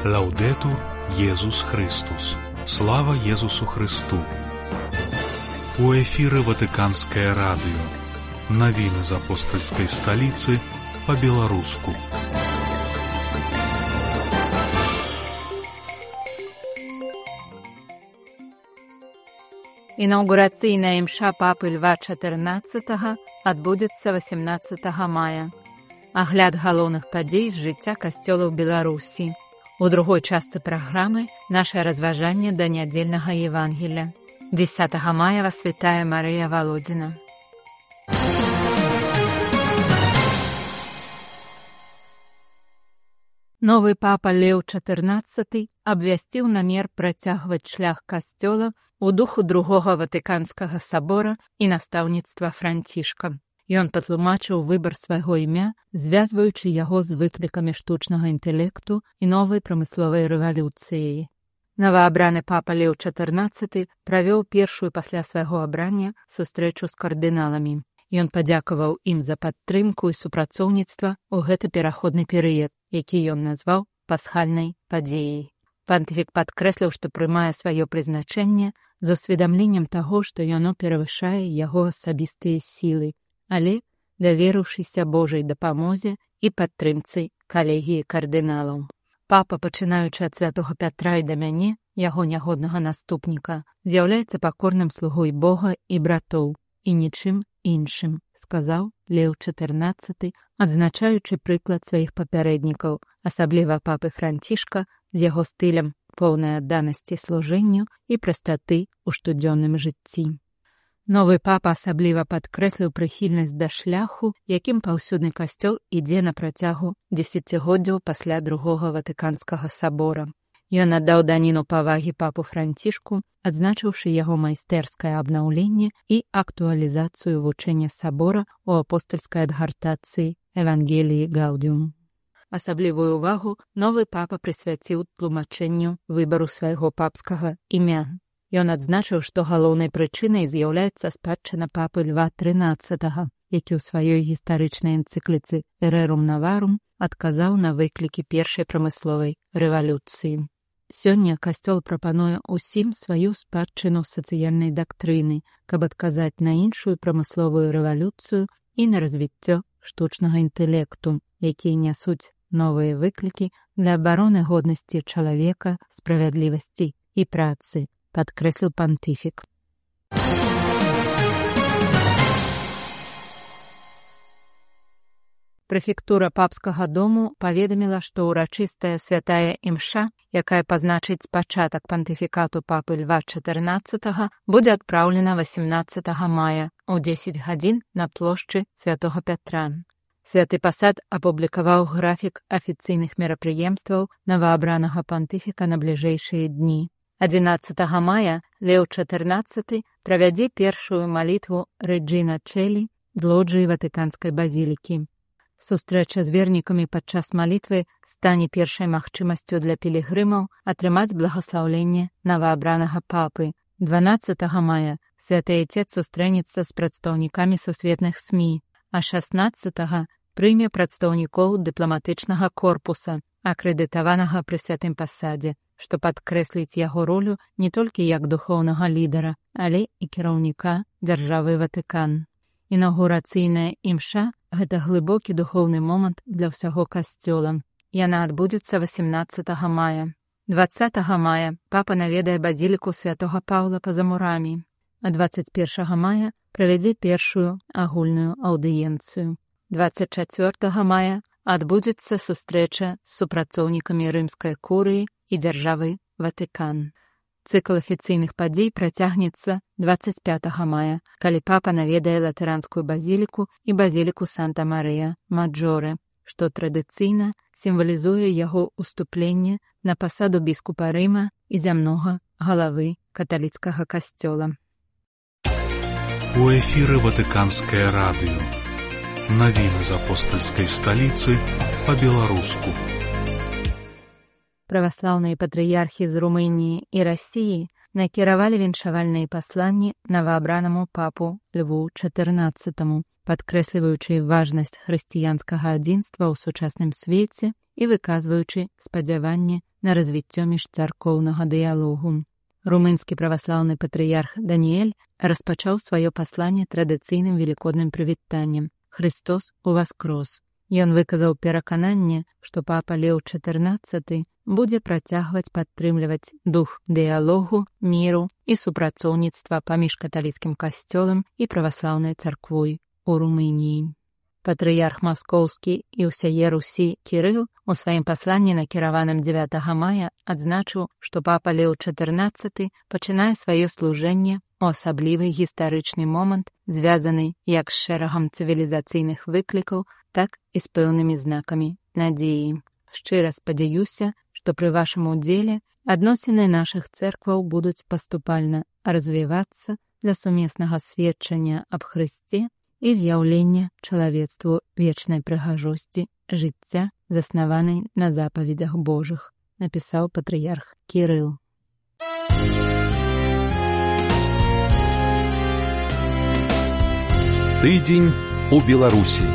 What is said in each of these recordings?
Лаўдетур Єсус Христус. Слава Єсусу Христу. У эфіры Ватыканскае радыё. Навіны з апостальскай сталіцы па-беларуску. Інаўгурацыйная імша папы Льва XIV адбудзецца 18 мая. Агляд галоўных падзей з жыцця касцёла ў Беларусі. У другой частцы праграмы нашае разважанне да нядзельнага Евангелля. 10 мая вас вітае Марыя Володина. Новы папа Леў XIV абвясціў намер працягваць шлях касцёла у духу другога Ватыканскага сабора і настаўніцтва Францішка. Ён патлумачыў выбар свайго імя, звязваючы яго з выклікамі штучнага інтэлекту і новай прамысловай рэвалюцыяй. Новаабраны папа Леў XIV правёў першую пасля свайго абрання сустрэчу з кардыналамі. Ён падзякаваў ім за падтрымку і супрацоўніцтва ў гэты пераходны перыяд, які ён назваў пасхальнай падзеяй. Пантыфік падкрэсліў, што прымае сваё прызначэнне з усведамленнем таго, што яно перавышае яго асабістыя сілы, але даверыўшыся Божай дапамозе і падтрымцы калегіі кардыналаў. Папа, пачынаючы ад святога Пятра і да мяне, яго нягоднага наступніка, з'яўляецца пакорным слугой Бога і братоў, і нічым іншым, сказаў Леў XIV, адзначаючы прыклад сваіх папярэднікаў, асабліва папы Францішка, з яго стылем поўнай адданасці служэнню і прастаты ў штодзённым жыцці. Новы папа асабліва падкрэсліў прыхільнасць да шляху, якім паўсюдны касцёл ідзе на працягу дзесяцігоддзяў пасля другога Ватыканскага сабора. Ён аддаў даніну павагі папу Францішку, адзначыўшы яго майстэрскае абнаўленне і актуалізацыю вучэння сабора ў апостальскай адгартацыі Евангеліі Гаудіум. Асаблівую ўвагу новы папа прысвяціў тлумачэнню выбару свайго папскага імя. Ён адзначыў, што галоўнай прычынай з'яўляецца спадчына папы Льва XIII, які ў сваёй гістарычнай энцыкліцы «Rerum Novarum» адказаў на выклікі першай прамысловай рэвалюцыі. Сёння касцёл прапануе ўсім сваю спадчыну сацыяльнай дактрыны, каб адказаць на іншую прамысловую рэвалюцыю і на развіццё штучнага інтэлекту, якія нясуць новыя выклікі для абароны годнасці чалавека, справядлівасці і працы, падкрэсліў пантыфік. Прэфектура папскага дому паведаміла, што ўрачыстая святая імша, якая пазначыць пачатак пантыфікату папы Льва XIV, будзе адпраўлена 18 мая ў 10 гадзін на плошчы святога Пятра. Святы пасад апублікаваў графік афіцыйных мерапрыемстваў новаабранага пантыфіка на бліжэйшыя дні. 11 мая Леў XIV правядзе першую малітву Рэджіна Чэлі з лоджыі Ватыканскай базілікі. Сустрэча з вернікамі падчас малітвы стане першай магчымасцю для пілігрымаў атрымаць благаслаўленне новаабранага папы. 12 мая святы Отец сустрэнецца з прадстаўнікамі сусветных СМІ, а 16 прыме прадстаўнікоў дыпламатычнага корпуса, акрэдытаванага пры святым пасадзе, што падкрэсліць яго ролю не толькі як духоўнага лідара, але і кіраўніка дзяржавы Ватыкан. Інаўгурацыйная імша – гэта глыбокі духоўны момант для ўсяго касцёла. Яна адбудзецца 18 мая. 20 мая папа наведае базіліку святога Паўла па-за мурамі, а 21 мая правядзе першую агульную аўдыенцыю. 24 мая адбудзецца сустрэча з супрацоўнікамі рымскай курыі і дзяржавы Ватыкан. Цыкл афіцыйных падзей працягнецца 25 мая, калі папа наведае латаранскую базіліку і базіліку Санта-Марыя Маджоре, што традыцыйна сімвалізуе яго уступленне на пасаду біскупа Рыма і зямнога галавы каталіцкага касцёла. У эфіры Ватыканскае радыё. Навіны з апостальскай сталіцы па-беларуску. Праваслаўныя патрыярхі з Румыніі і Расіі накіравалі віншавальныя пасланні новаабранаму папу Льву XIV, падкрэсліваючы важнасць хрысціянскага адзінства ў сучасным свеце і выказваючы спадзяванне на развіццё міжцаркоўнага дыялогу. Румынскі праваслаўны патрыярх Даніэль распачаў сваё пасланне традыцыйным велікодным прывітаннем «Христос уваскрос». Ён выказаў перакананне, што папа Леў XIV будзе працягваць падтрымліваць дух дыялогу, міру і супрацоўніцтва паміж каталіцкім касцёлам і праваслаўнай царквой у Румыніі. Патрыярх маскоўскі і ўсяе Русі Кірыл у сваім пасланні, накіраваным 9 мая, адзначыў, што папа Леў XIV пачынае сваё служэнне у асаблівы гістарычны момант, звязаны як з шэрагам цывілізацыйных выклікаў, так і з пэўнымі знакамі надзеі. Шчыра спадзяюся, што пры вашым удзеле адносіны нашых цэркваў будуць паступальна развівацца для сумеснага сведчання аб Хрысце і з'яўлення чалавецтву вечнай прыгажосці жыцця, заснаванай на запаведзях Божых, напісаў патрыярх Кірыл. Тыдзень у Беларусі.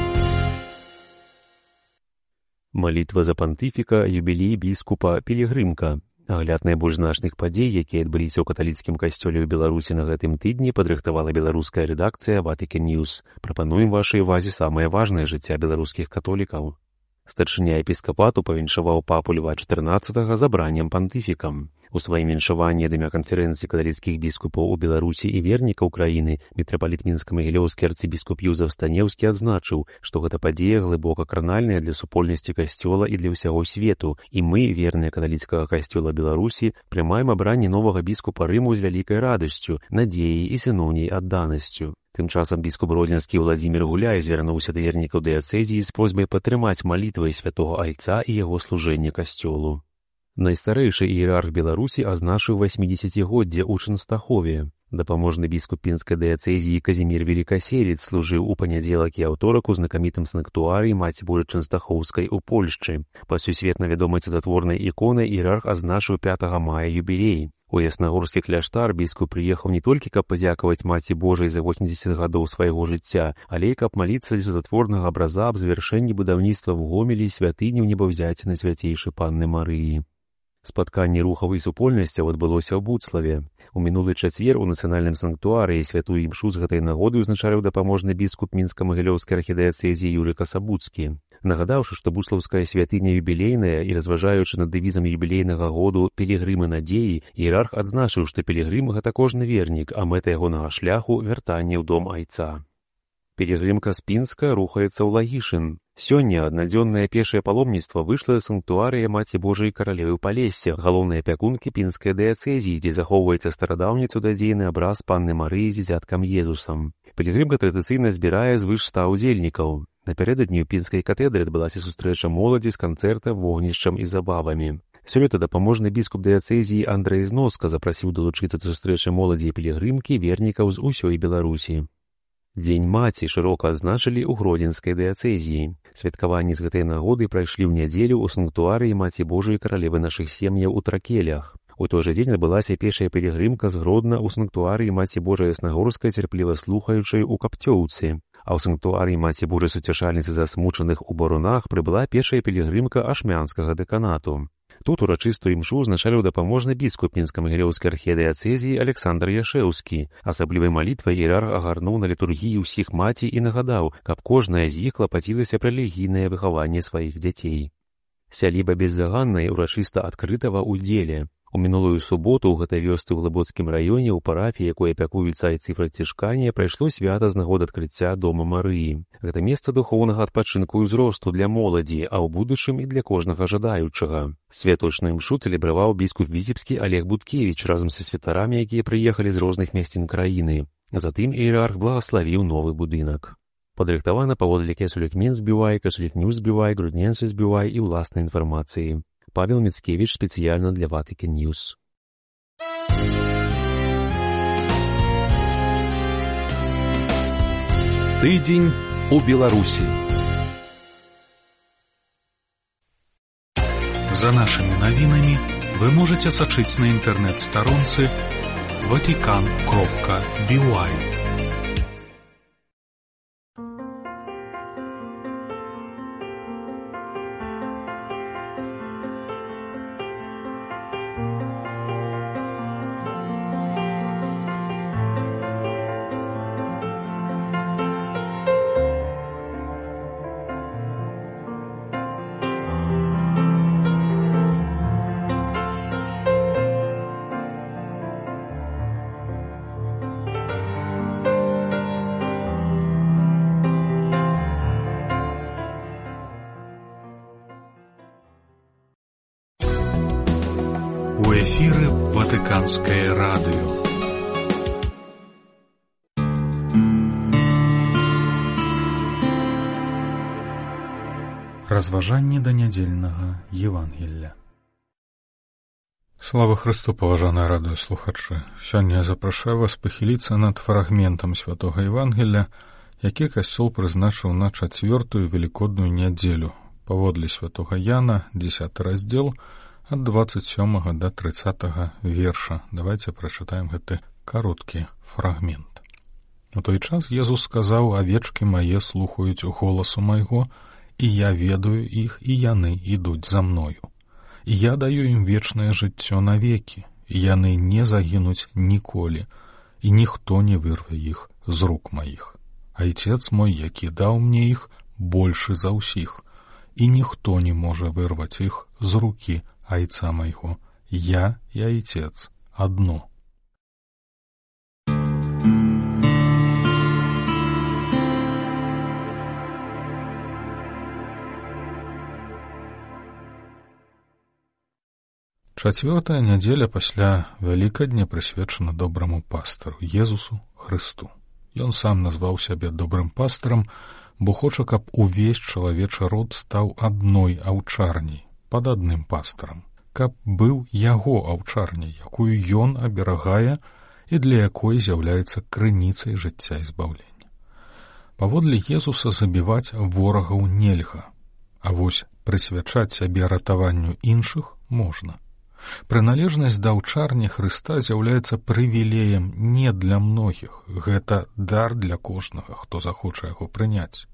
Малітва за пантыфіка, юбілей біскупа Пілігрымка. Агляд найбольш значных падзей, якія адбыліся ў каталіцкім касцёле ў Беларусі на гэтым тыдні, падрыхтавала беларуская рэдакцыя Vatican News. Прапануем вашай увазе самае важнае жыцця беларускіх католікаў. Старшыня епіскапату павіншаваў папу Льва XIV забраннем пантыфікам. У сваім віншаванні ад імя канферэнцыі каталіцкіх біскупаў у Беларусі і вернікаў краіны мітрапаліт мінска-магілёўскі арцыбіскуп Юзеф Станеўскі адзначыў, што гэта падзея глыбока кранальная для супольнасці касцёла і для ўсяго свету, і мы, верныя каталіцкага касцёла Беларусі, прымаем абранне новага біскупа Рыму з вялікай радасцю, надзеяй і сыноўняй адданасцю. Тым часам біскуп гродзенскі Владзімір Гуляй звярнуўся да вернікаў дыяцэзіі з просьбай падтрымаць малітвай святога Айца і яго служэнне касцёлу. Найстарэйшы іерарх Беларусі азначыў 80-годдзе ў Чэнстахове. Дапаможны біскуп пінскай дыяцэзіі Казімір Велікаселец служыў у панядзелак і аўторак у знакамітым санктуарыі Маці Божай Чэнстахоўскай у Польшчы. Па сусветна вядомай цудатворнай іконай іерарх азначыў 5 мая юбілей. У яснагорскі кляштар біскуп прыехаў не толькі, каб падзякаваць Маці Божай за 80 гадоў свайго жыцця, але і каб маліцца для цудатворнага абраза аб завяршэнні будаўніцтва ў Гомелі і святыні ў небаўзяцінай свяцейшай Панны Марыі. Спатканне рухаў і супольнасцяў адбылося ў Буцлаве. У мінулы чацвер у нацыянальным санктуарыі святую імшу з гэтай нагоды ўзначаліў дапаможны біскуп мінска-магілёўскай архідыяцэзіі Юрый Касабуцкі. Нагадаўшы, што буцлаўская святыня юбілейная і разважаючы над дэвізам юбілейнага году «Пілігрымы надзеі», іерарх адзначыў, што пілігрым — гэта кожны вернік, а мэта ягонага шляху — вяртанне ў дом Айца. Пілігрымка з Пінска рухаецца ў Лагішын. Сёння аднадзённае пешае паломніцтва выйшла з санктуарыя Маці Божай Каралевы Палесся, галоўнай апякункі пінскай дыяцэзіі, дзе захоўваецца старадаўні цудадзейны абраз Панны Марыі з дзіцяткам Езусам. Пілігрымка традыцыйна збірае звыш 100 удзельнікаў. Напярэдадні ў пінскай катедры адбылася сустрэча моладзі з канцэртам, вогнішчам і забавамі. Сёлета дапаможны біскуп дыяцэзіі Андрэй Зноска запрасіў далучыцца да сустрэчы моладзі і пілігрымкі вернікаў з усёй Беларусі. Дзень маці шырока адзначылі ў гродзенскай дыяцэзіі. Святкаванні з гэтай нагоды прайшлі ў нядзелю ў санктуарыі Маці Божай Каралевы нашых сем'яў у Тракелях. У той жа дзень адбылася пешая пілігрымка з Гродна ў санктуарыі Маці Божай Яснагорскай цярпліва слухаючай у Капцёўцы. А ў санктуарыі Маці Божай Суцяшальніцы засмучаных у Барунах прыбыла пешая пілігрымка ашмянскага дэканату. Тут урачыстую імшу узначаліў дапаможны біскуп мінска-магілёўскай архідыяцэзіі Александр Яшэўскі. Асаблівай малітвай іерарх агарнуў на літургіі ўсіх маці і нагадаў, каб кожная з іх клапацілася пра рэлігійнае выхаванне сваіх дзяцей. Сяліба беззаганная урачыста адкрытага ўдзеле. У мінулую суботу ў гэтай вёсцы ў Глыбоцкім раёне ў парафіі, якой апякуюцца айцы францішкане, прайшло свята з нагоды адкрыцця дома Марыі. Гэта месца духоўнага адпачынку і ўзросту для моладзі, а ў будучым і для кожнага жадаючага. Святочную імшу цэлебраваў біскуп Віцебскі Олег Будкевіч разам са святарамі, якія прыехалі з розных месцін краіны. Затым іерарх благаславіў новы будынак. Падрыхтавана паводле кесулек Мінсбівай, кесулек Ньюсбівай, Грудненсбівай і ўласнай інфармацыі. Павел Мицкевич специально для Vatican News. Тыдзень у Беларусі. За нашими навінамі вы можете сачыць на інтэрнэт-старонцы vatican.by. У эфіры Ватыканскае радыё. Разважанні да нядзельнага Евангелля. Слава Христу, паважаныя радыёслухачы! Сёння я запрашаю вас пахіліцца над фрагментам святога Евангелля, які касцёл прызначыў на 4-ю велікодную нядзелю, паводле святога Яна, 10 раздзел, ад 27 до 30 верша. Давайте прачытаем гэты кароткі фрагмент. У той час Езус сказаў: «Авечкі мае слухаюць голасу майго, і я ведаю іх, і яны ідуць за мною. І я даю ім вечнае жыццё навекі, і яны не загінуць ніколі, і ніхто не вырве іх з рук маіх. Айцец мой, які даў мне іх, большы за ўсіх, і ніхто не можа вырваць іх з рукі айца майго. Я і айцец адно». Чацвёртая нядзеля пасля Вялікадня прысвечана добраму пастыру, Езусу Хрысту. Ён сам назваў сябе добрым пастырам, бо хоча, каб увесь чалавечы род стаў адной аўчарняй, пад адным пастырам, каб быў яго аўчарняй, якую ён аберагае і для якой з'яўляецца крыніцай жыцця і збаўлення. Паводле Езуса забіваць ворагаў нельга, а вось прысвячаць сябе ратаванню іншых можна. Прыналежнасць да аўчарні Хрыста з'яўляецца прывілеем не для многіх, гэта дар для кожнага, хто захоча яго прыняць.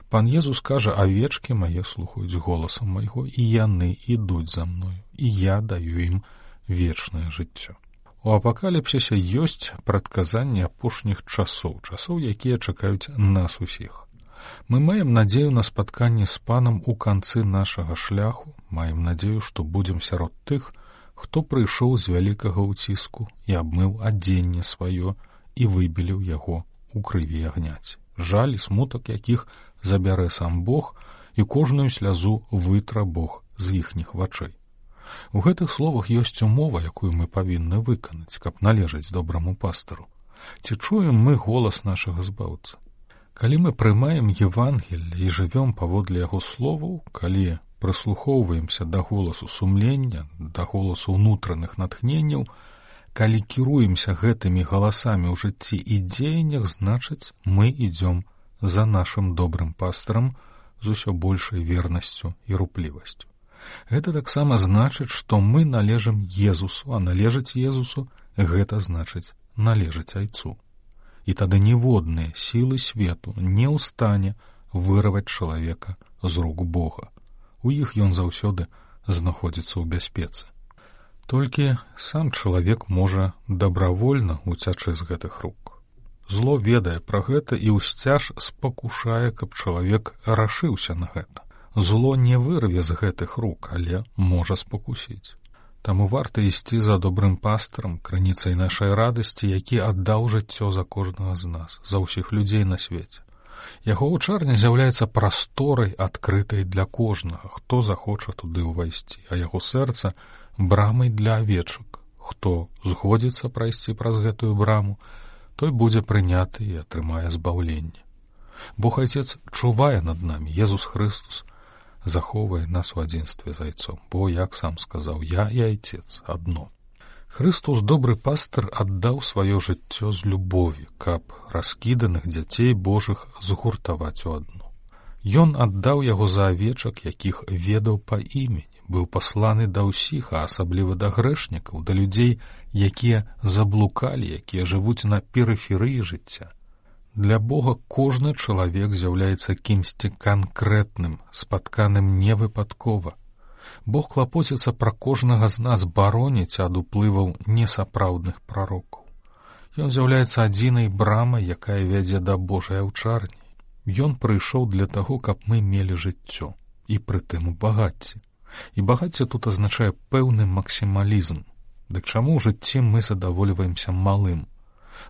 Пан Езус кажа: «Авечкі мае слухаюць голасам майго, і яны ідуць за мною, і я даю ім вечнае жыццё». У апакаліпсісе ёсць прадказанні апошніх часоў, якія чакаюць нас усіх. Мы маем надзею на спатканне з Панам у канцы нашага шляху, маем надзею, што будзем сярод тых, хто прыйшоў з вялікага ўціску і абмыў адзенне сваё і выбеліў яго ў крыві агняць. Жаль і смутак якіх забярэ сам Бог, і кожную слязу вытра Бог з іхніх вачэй. У гэтых словах ёсць умова, якую мы павінны выканаць, каб належаць добраму пастыру. Ці чуем мы голас нашага збаўцы? Калі мы прымаем Евангелле і жывём паводле яго словаў, калі прыслухоўваемся да голасу сумлення, да голасу ўнутраных натхненняў, калі кіруемся гэтымі галасамі ў жыцці і дзеяннях, значыць, мы ідзём за нашым добрым пастырам з усё большай вернасцю і руплівасцю. Гэта таксама значыць, што мы належым Езусу, а належаць Езусу — гэта значыць належаць Айцу. І тады ніводныя сілы свету не ў стане вырваць чалавека з рук Бога. У іх ён заўсёды знаходзіцца ў бяспецы. Толькі сам чалавек можа дабравольна уцячы з гэтых рук. Зло ведае пра гэта і ўсцяж спакушае, каб чалавек рашыўся на гэта. Зло не вырве з гэтых рук, але можа спакусіць. Таму варта ісці за добрым пастырам, крыніцай нашай радасці, які аддаў жыццё за кожнага з нас, за ўсіх людзей на свеце. Яго аўчарня з'яўляецца прасторай, адкрытай для кожнага, хто захоча туды ўвайсці, а яго сэрца — брамай для авечак. Хто згодзіцца прайсці праз гэтую браму, той будзе прыняты і атрымае збаўленне. Бог Айцец чувае над намі, Езус Христус захоўвае нас у адзінстве з Айцом, бо, як сам сказаў, я і Айцец адно. Христус, добры пастыр, аддаў сваё жыццё з любові, каб раскіданых дзяцей Божых згуртаваць у адну. Ён аддаў яго за авечак, якіх ведаў па імені, быў пасланы да ўсіх, а асабліва да грэшнікаў, да людзей, якія заблукалі, якія жывуць на перыферыі жыцця. Для Бога кожны чалавек з'яўляецца кімсьці канкрэтным, спатканым невыпадкова. Бог клапоціцца пра кожнага з нас бароніць ад уплываў несапраўдных прарокаў. Ён з'яўляецца адзінай брамай, якая вядзе да Божай аўчарні. Ён прыйшоў для таго, каб мы мелі жыццё, і прытым у багацці. І багацце тут азначае пэўны максімалізм. Дык чаму ў жыцці мы задавольваемся малым?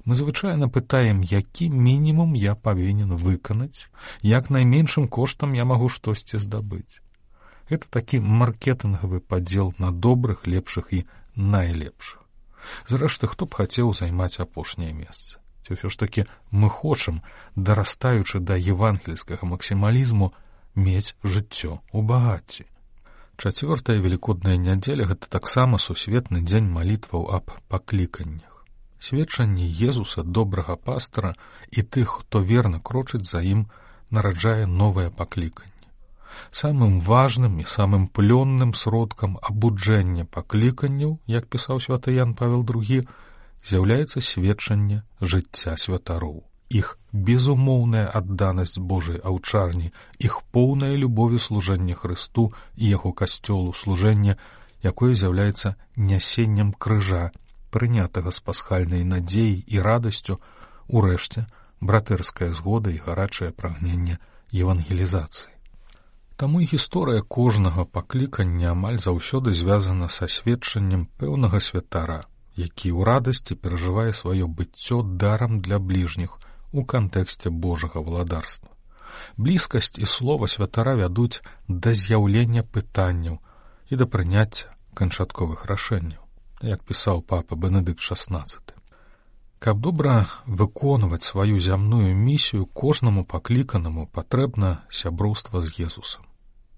Мы звычайна пытаем, які мінімум я павінен выканаць, як найменшым коштам я магу штосьці здабыць. Гэта такі маркетынгавы падзел на добрых, лепшых і найлепшых. Зрэшты, хто б хацеў займаць апошняе месца? Ці ўсё ж такі мы хочам, дарастаючы да евангельскага максімалізму, мець жыццё ў багацці. Чацвёртая велікодная нядзеля — гэта таксама сусветны дзень малітваў аб пакліканнях. Сведчанне Езуса, добрага пастара, і тых, хто верна крочыць за ім, нараджае новае пакліканне. Самым важным і самым плённым сродкам абуджэння пакліканняў, як пісаў святы Ян Павел II, з'яўляецца сведчанне жыцця святароў. Іх безумоўная адданасць Божай аўчарні, іх поўная любові служэння Хрысту і яго касцёлу, служэнне, якое з'яўляецца нясеннем крыжа, прынятага з пасхальнай надзеяй і радасцю, урэшце, братэрская згода і гарачае прагненне евангелізацыі. Таму і гісторыя кожнага паклікання амаль заўсёды звязана са сведчаннем пэўнага святара, які ў радасці перажывае сваё быццё дарам для бліжніх у кантэксце Божага валадарства. Блізкасць і слова святара вядуць да з'яўлення пытанняў і да прыняцця канчатковых рашэнняў, як пісаў папа Бенедыкт XVI. Каб добра выконваць сваю зямную місію, кожнаму пакліканаму патрэбна сяброўства з Езусам.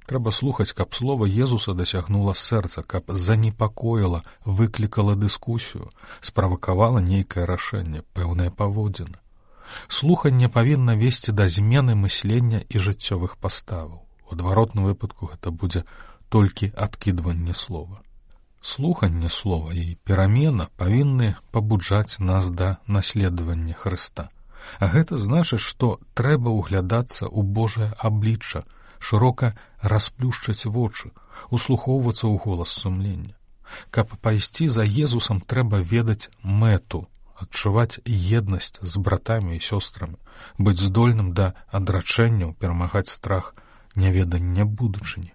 Трэба слухаць, каб слова Езуса дасягнула сэрца, каб занепакоіла, выклікала дыскусію, справакавала нейкае рашэнне, пэўнае паводзіны. Слуханне павінна весці да змены мыслення і жыццёвых паставаў. У адваротным выпадку гэта будзе толькі адкідванне слова. Слуханне слова і перамена павінны пабуджаць нас да наследавання Хрыста. А гэта значыць, што трэба ўглядацца ў Божае аблічча, шырока расплюшчаць вочы, услухоўвацца ў голас сумлення. Каб пайсці за Езусам, трэба ведаць мэту, адчуваць еднасць з братамі і сёстрамі, быць здольным да адрачэнняў, перамагаць страх няведання будучыні.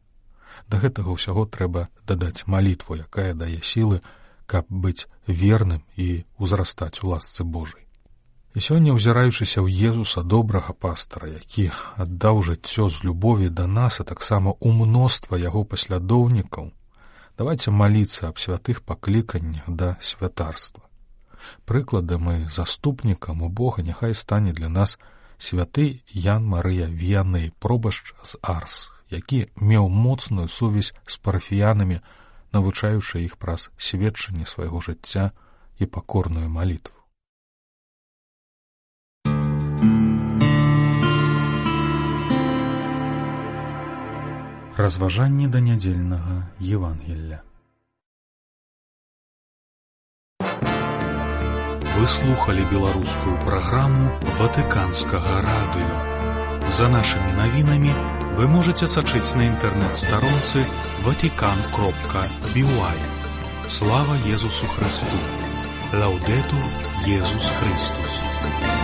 Да гэтага ўсяго трэба дадаць малітву, якая дае сілы, каб быць верным і ўзрастаць у ласцы Божай. І сёння, узіраючыся ў Езуса, добрага пастара, які аддаў жыццё з любові да нас, а таксама ў мноства яго паслядоўнікаў, давайце маліцца аб святых пакліканнях да святарства. Прыкладам і заступнікам у Бога няхай стане для нас святы Ян Марыя Віяней, пробашч з Арс, які меў моцную сувязь з парафіянамі, навучаючы іх праз сведчанне свайго жыцця і пакорную малітву. Разважанні да нядзельнага Евангелля. Вы слухали беларускую праграму Ватыканскага радыё. За нашымі навінамі вы можете сачыць на інтэрнэт-старонцы vatican.by. Слава Езусу Христу! Лаўдэтур Езус Христус!